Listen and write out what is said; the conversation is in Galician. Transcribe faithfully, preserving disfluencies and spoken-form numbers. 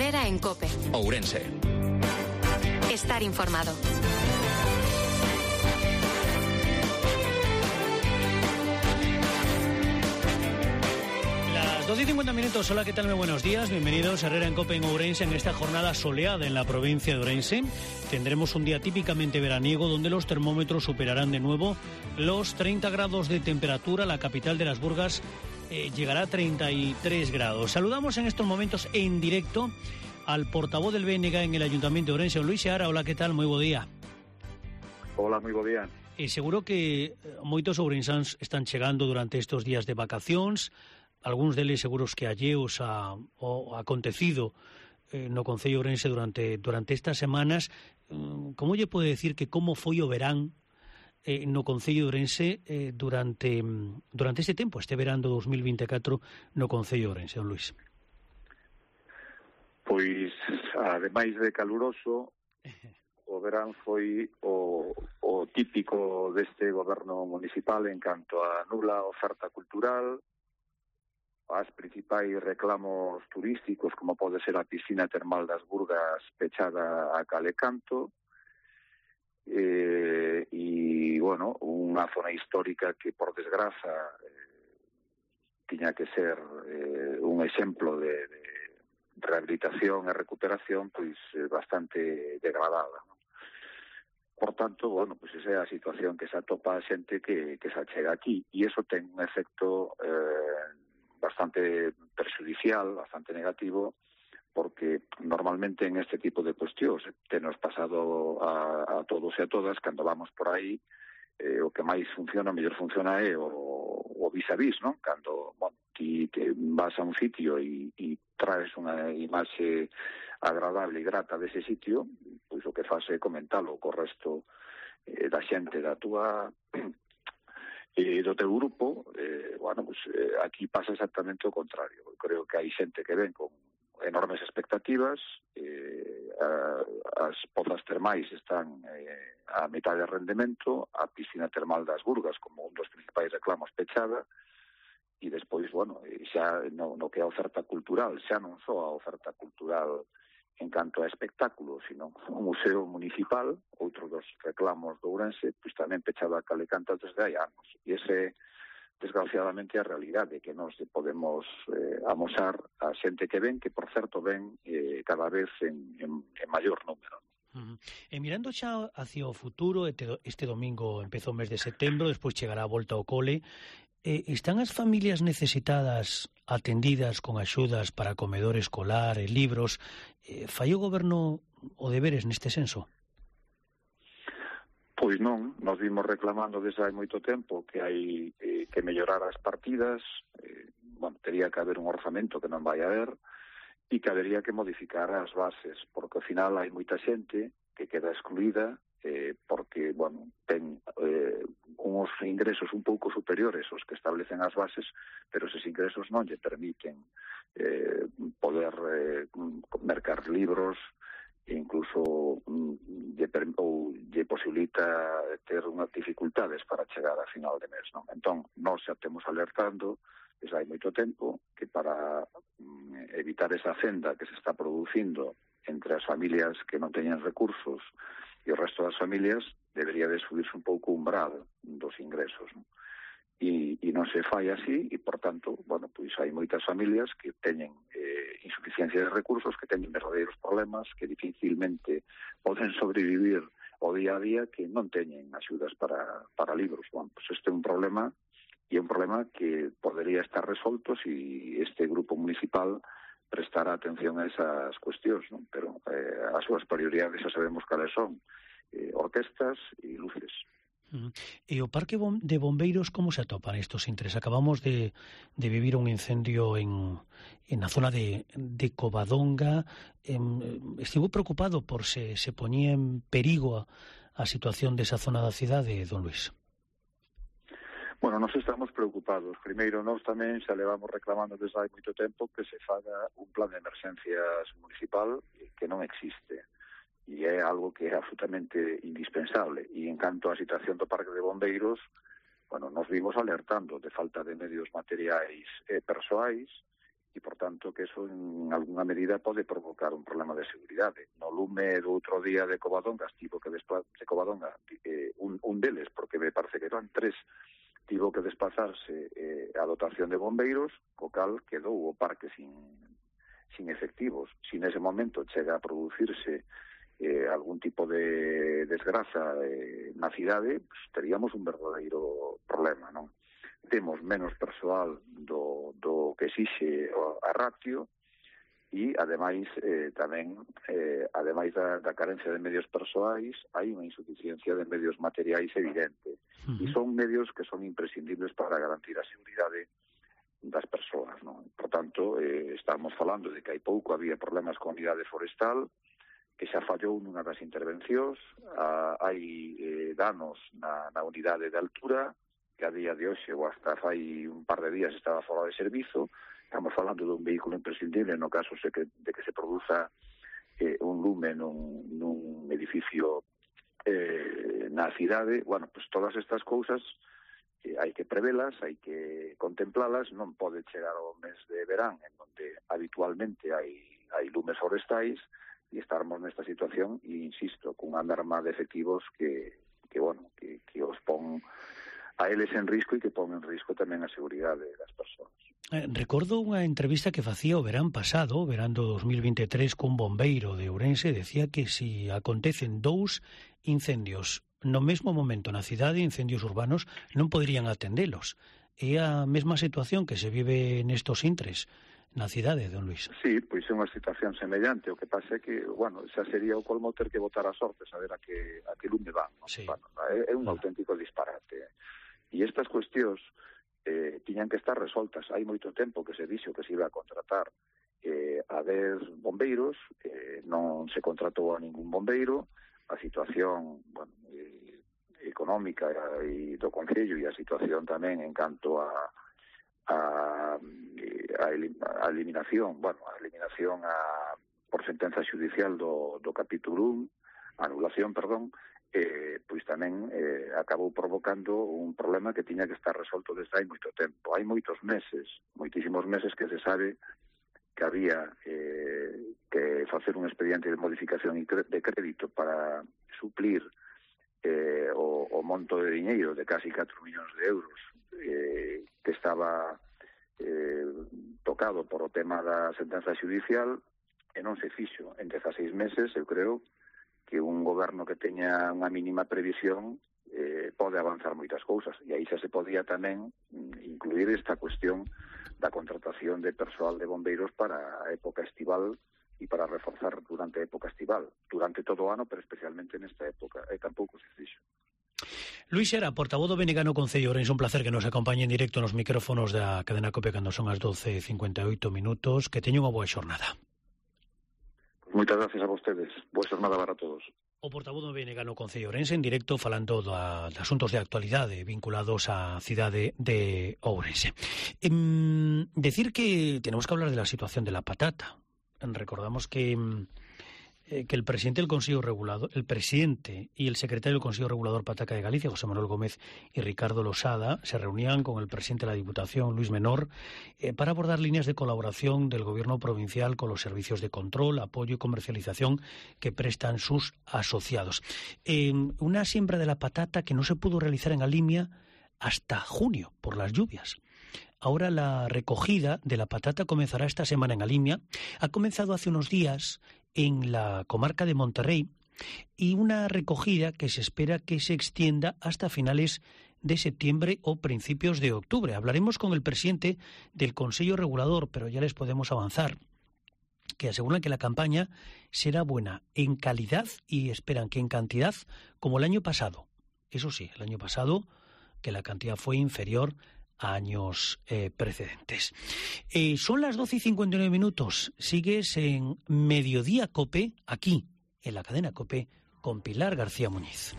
Herrera en COPE. Ourense. Estar informado. doce y cincuenta minutos, hola, ¿qué tal? Muy buenos días, bienvenidos a Herrera en COPE en Ourense en esta jornada soleada en la provincia de Ourense. Tendremos un día típicamente veraniego donde los termómetros superarán de nuevo los treinta grados de temperatura. La capital de las Burgas eh, llegará a treinta y tres grados. Saludamos en estos momentos en directo al portavoz del B N G en el Ayuntamiento de Ourense, Luis Seara. Hola, ¿qué tal? Muy buen día. Hola, moi bo día. E seguro que moitos ourensáns están chegando durante estes días de vacacións. Algúns deles seguros que alleos a, o acontecido eh, no Concello Ourense durante durante estas semanas. Como lle pode decir que como foi o verán eh, no Concello de Ourense eh, durante durante este tempo, este verán do dos mil vinte e catro no Concello de Ourense, don Luis? Pois, ademais de caluroso, o verán foi o, o típico deste goberno municipal en canto a nula oferta cultural, as principais reclamos turísticos, como pode ser a piscina termal das Burgas pechada a cal e canto, eh, e, bueno, unha zona histórica que, por desgraza, eh, tiña que ser eh, un exemplo de, de rehabilitación e recuperación, pois, eh, bastante degradada, non? Por tanto, bueno, pois esa é a situación que se atopa a xente que, que se achega aquí, e iso ten un efecto eh, bastante perjudicial, bastante negativo, porque normalmente en este tipo de cuestións te nos pasado a, a todos e a todas, cando vamos por aí, eh, o que máis funciona, mellor funciona é o, o vis-a-vis, non? Cando, bueno, ti te vas a un sitio e, e traes unha imaxe agradable e grata dese sitio, pois o que faz é comentalo co resto eh, da xente da túa e do teu grupo. Eh, bueno, pues, eh, aquí pasa exactamente o contrario. Eu creo que hai xente que ven con enormes expectativas, eh, a, as pozas termais están eh, a mitad de rendemento, a piscina termal das Burgas como un dos principais reclamos pechada, e despois, bueno, xa no, no que é a oferta cultural, xa non só a oferta cultural en canto a espectáculos, sino o Museo Municipal, outro dos reclamos do Ourense, pois tamén pechado a cal e canto desde hai anos. E ese, desgraciadamente, a realidade que nos podemos eh, amosar a xente que ven, que, por certo, ven eh, cada vez en, en, en maior número. Uh-huh. E mirando xa hacia o futuro, este domingo empezou o mes de setembro, despois chegará a volta ao cole, eh, están as familias necesitadas atendidas con axudas para comedor escolar e libros? Eh, fai o goberno o deberes neste senso? Pois non, nos vimos reclamando desde hai moito tempo que hai eh, que mellorar as partidas, eh, bueno, tería que haber un orzamento que non vai haber, e que habería que modificar as bases, porque ao final hai moita xente que queda excluída eh, porque, bueno, ten eh, uns ingresos un pouco superiores aos que establecen as bases, pero esos ingresos non lle permiten eh, poder eh, mercar libros, e incluso mm, lle, ou lle posibilita ter unhas dificultades para chegar a final de mes, non? Entón, nós xa temos alertando desde hai moito tempo que para mm, evitar esa fenda que se está producindo entre as familias que non teñen recursos e o resto das familias, debería de subirse un pouco o umbral dos ingresos, non? E, e non se fai así, e, por tanto, bueno, pois hai moitas familias que teñen eh, insuficiencia de recursos, que teñen verdadeiros problemas, que dificilmente poden sobrevivir o día a día, que non teñen axudas para, para libros. Bueno, pois este é un problema, e é un problema que podería estar resolto se este grupo municipal prestar atención a esas cuestións, non? Pero eh, as súas prioridades xa sabemos cales son, eh, orquestas e luces. Uh-huh. E o parque de bombeiros, como se atopan estos intres? Acabamos de, de vivir un incendio en, en a zona de, de Covadonga. Eh, estivo preocupado por se, se poñía en perigo a, a situación desa zona da cidade, don Luis? Bueno, nós estamos preocupados. Primeiro, nós tamén xa levamos reclamando desde hai moito tempo que se faga un plan de emerxencias municipal que non existe. E é algo que é absolutamente indispensable. E en canto á situación do Parque de Bombeiros, bueno, nos vimos alertando de falta de medios materiais e persoais, e, por tanto, que eso en algunha medida pode provocar un problema de seguridade. No lume do outro día de Covadonga, tivo que desplazarse de Covadonga, eh, un, un deles, porque me parece que eran tres, tivo que desplazarse eh, a dotación de bombeiros, co cal quedou o parque sin, sin efectivos. Si nese momento chega a producirse eh, algún tipo de desgraza eh, na cidade, pues, teríamos un verdadeiro problema, non? Temos menos persoal do, do que exixe a ratio e, ademais, eh, tamén, eh, ademais da, da carencia de medios persoais, hai unha insuficiencia de medios materiais evidente. Uh-huh. E son medios que son imprescindibles para garantir a seguridade das persoas, non? Por tanto, eh, estamos falando de que hai pouco había problemas con a unidade forestal, que xa fallou nunha das intervencións, ah, hai eh, danos na, na unidade de altura, que a día de hoxe, ou hasta fai un par de días, estaba fora de servizo. Estamos falando dun vehículo imprescindible no caso de que, de que se produza eh, un lume nun, nun edificio eh, na cidade. Bueno, pues todas estas cousas eh, hai que prevelas, hai que contemplalas. Non pode chegar ao mes de verán, en onde habitualmente hai, hai lumes forestais, e estarmos nesta situación, e insisto, cunha alarma de efectivos que, que bueno, que, que os pon a eles en risco e que pon en risco tamén a seguridade das persoas. Eh, recordo unha entrevista que facía o verán pasado, o verán do dos mil veintitrés, cun bombeiro de Ourense. Decía que si acontecen dous incendios no mesmo momento na cidade, incendios urbanos, non poderían atendelos. É a mesma situación que se vive nestos intres na cidade, don Luís. Sí, pois é unha situación semellante. O que pasa é que, bueno, xa sería o colmo ter que botar a sorte, saber a que, a que lume van. ¿No? Sí. Bueno, é, é un ah. auténtico disparate. E estas cuestións eh, tiñan que estar resoltas. Hai moito tempo que se dixo que se iba a contratar eh, a dez bombeiros, eh, non se contratou a ningún bombeiro. A situación, bueno, eh, económica e do Concello, e a situación tamén en canto a a, a, a eliminación, bueno, a eliminación a, por sentenza xudicial do, do capítulo un, anulación, perdón, eh, pois tamén eh, acabou provocando un problema que tiña que estar resolto desde hai moito tempo. Hai moitos meses, moitísimos meses que se sabe que había eh, que facer un expediente de modificación de crédito para suplir eh, o, o monto de diñeiro de casi catro millóns de euros eh, que estaba eh, tocado por o tema da sentenza xudicial, e non se fixo. En dezaseis meses, eu creo que un goberno que teña unha mínima previsión eh, pode avanzar moitas cousas, e aí xa se podía tamén incluir esta cuestión da contratación de persoal de bombeiros para a época estival e para reforzar durante a época estival, durante todo o ano, pero especialmente nesta época, e tampouco se fixo. Luís Xera, portavoz do B N G no Concello Ourense, un placer que nos acompañe en directo nos micrófonos da cadena COPE cando son as doce e cincuenta e oito minutos. Que teña unha boa xornada. Moitas gracias a vostedes. Boa xornada para todos. O portavoz do B N G no Concello Ourense en directo falando da, de asuntos de actualidade vinculados á cidade de Ourense. Eh, decir que tenemos que hablar de la situación de la patata. Recordamos que, eh, que el presidente del Consejo Regulador, el presidente y el secretario del Consejo Regulador Pataca de Galicia, José Manuel Gómez y Ricardo Losada, se reunían con el presidente de la Diputación, Luis Menor, eh, para abordar líneas de colaboración del gobierno provincial con los servicios de control, apoyo y comercialización que prestan sus asociados. Eh, una siembra de la patata que no se pudo realizar en Alimia hasta junio por las lluvias. Ahora la recogida de la patata comenzará esta semana en Alimia. Ha comenzado hace unos días en la comarca de Monterrey y una recogida que se espera que se extienda hasta finales de septiembre o principios de octubre. Hablaremos con el presidente del Consejo Regulador, pero ya les podemos avanzar que aseguran que la campaña será buena en calidad y esperan que en cantidad como el año pasado. Eso sí, el año pasado que la cantidad fue inferior a años eh, precedentes. Eh, son las doce y cincuenta y nueve minutos. Sigues en Mediodía COPE, aquí, en la cadena COPE, con Pilar García Muñiz.